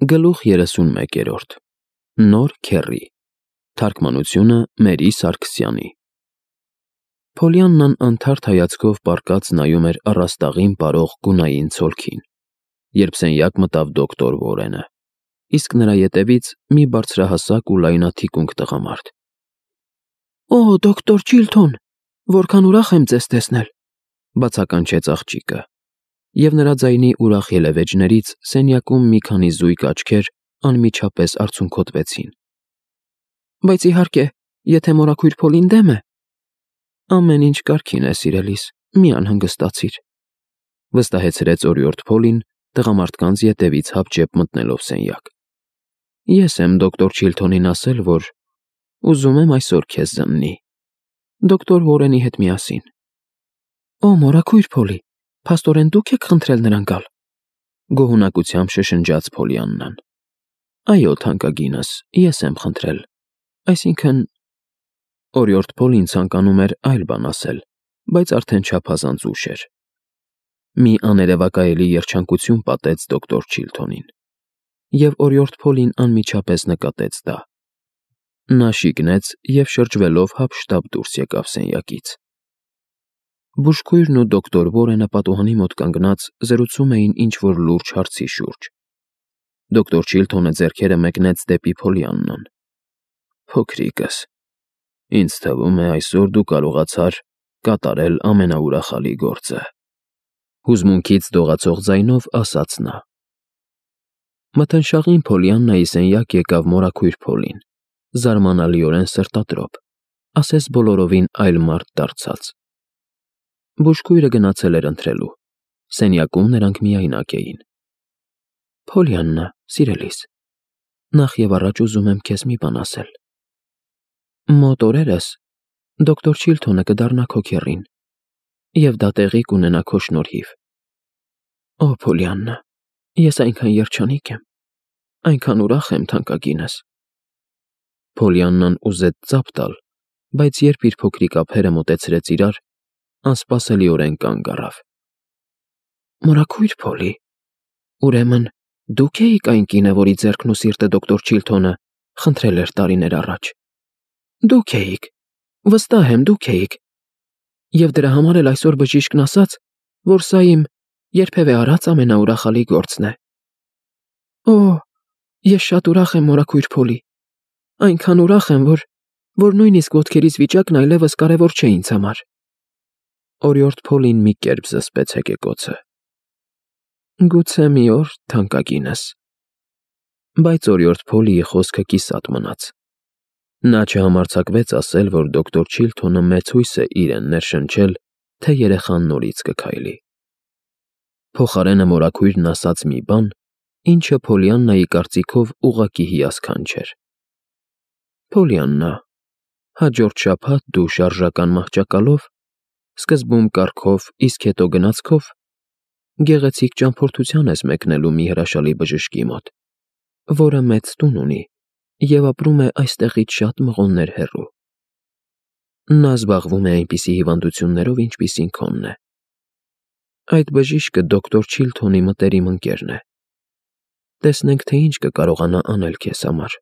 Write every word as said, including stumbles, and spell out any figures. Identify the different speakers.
Speaker 1: Գլուխ երեսունմեկերորդ Նոր քեռի Թարգմանությունը Մերի Սարգսյանի Փոլիաննան անթարթ հայացքով պառկած նայում էր առաստաղին պարող գունային ցոլքին, երբ սենյակ մտավ դոկտոր Վորենը, իսկ նրա ետևից մի բարձրահասակ ու լայնաթիկունք տղամարդ։ «Օ, դոկտոր Չիլթոն, որքան ուրախ եմ ձեզ տեսնել», բացականչեց աղջիկը, և նրա ձայնի ուրախ ելևէջներից սենյակում մի քանի զույգ աչքեր անմիջապես արցունքոտվեցին։ «Բայց իհարկե, եթե մորաքույր Փոլին դեմ է»։ «Ամեն ինչ կարգին է, սիրելիս, մի անհանգստացիր», վստահեցրեց օրիորդ Փոլին տղամարդկանց ետևից հապճեպ մտնելով սենյակ։ «Ես եմ դոկտոր Չիլթոնին ասել, որ ուզում եմ այսօր քեզ զննի, դոկտոր Վորենի հետ միասին»։ «Օ, մորաքույր Փոլի, փաստորեն դուք եք խնդրել նրան գալ», գոհունակությամբ շշնջաց Փոլիաննան։ «Այո, թանկագինս, ես եմ խնդրել, այսինքն…» Օրիորդ Փոլին ցանկանում էր այլ բան ասել, բայց արդեն չափազանց ուշ էր։ Մի աներևակայելի երջանկություն պատեց դոկտոր Չիլթոնին, և օրիորդ Փոլին անմիջապես նկատեց դա։ Նա շիկնեց և շրջվելով հափշտապ դուրս եկավ սենյակից։ Բուժքույրն ու դոկտոր Վորենը պատուհանի մոտ կանգնած զրուցում էին ինչ-որ լուրջ հարցի շուրջ։ Դոկտոր Չիլթոնը ձեռքերը մեկնեց դեպի Փոլիաննան։ «Փոքրիկս, ինձ թվում է, այսօր դու կարողացար կատարել ամենաուրախալի գործը», հուզմունքից դողացող ձայնով ասաց նա։ Մթնշաղին Փոլիաննայի սենյակ եկավ մորաքույր Փոլին, զարմանալիորեն սրտադրոփ, ասես բոլորովին այլ մարդ դարձած։ Բուժքույրը գնացել էր ընթրելու, սենյակում նրանք միայնակ էին։ «Փոլիաննա, սիրելիս, նախ և առաջ ուզում եմ քեզ մի բան ասել։ Մոտ օրերս դոկտոր Չիլթոնը կդառնա քո քեռին, և դա տեղի կունենա քո շնորհիվ։ Օ, Փոլիաննա, ես այնքան երջանիկ եմ, այնքան ուրախ եմ, թանկագինս»։ Փոլիաննան ուզեց ծափ տալ, բայց երբ իր փոքրիկ ափերը մոտեցրեց իրար, անսպասելիորեն կանգ առավ։ «Մորաքույր Փոլի, ուրեմն դուք էիք այն կինը, որի ձեռքն ու սիրտը դոկտոր Չիլթոնը խնդրել էր տարիներ առաջ։ Դուք էիք, վստահ եմ, դուք էիք։ Եվ դրա համար էլ այսօր բժիշկն ասաց, որ սա իմ երբևէ արած ամենաուրախալի գործն է։ Օ, ես շատ ուրախ եմ, մորաքույր Փոլի, այնքան ուրախ եմ, որ… որ նույնիսկ ոտքերիս վիճակն այլևս կարևոր չէ ինձ համար»։ Օրիորդ Փոլին մի կերպ զսպեց հեկեկոցը։ «Գուցե մի օր, թանկագինս»։ Բայց օրիորդ Փոլիի խոսքը կիսատ մնաց։ Նա չհամարձակվեց ասել, որ դոկտոր Չիլթոնը մեծ հույս է իրեն ներշնչել, թե երեխան նորից կքայլի։ Փոխարենը մորաքույրն ասաց մի բան, ինչը Փոլիաննայի կարծիքով ուղղակի հիասքանչ էր։ «Փոլիաննա, հաջորդ շաբաթ դու շարժական մահճակալով, սկզբում կառքով, իսկ հետո գնացքով, գեղեցիկ ճամփորդության ես մեկնելու մի հրաշալի բժշկի մոտ, որը մեծ տուն ունի և ապրում է այստեղից շատ մղոններ հեռու։ Նա զբաղվում է այնպիսի հիվանդություններով, ինչպիսին քոնն է։ Այդ բժիշկը դոկտոր Չիլթոնի մտերիմ ընկերն է։ Տեսնենք, թե ինչ կկարողանա անել քեզ համար»։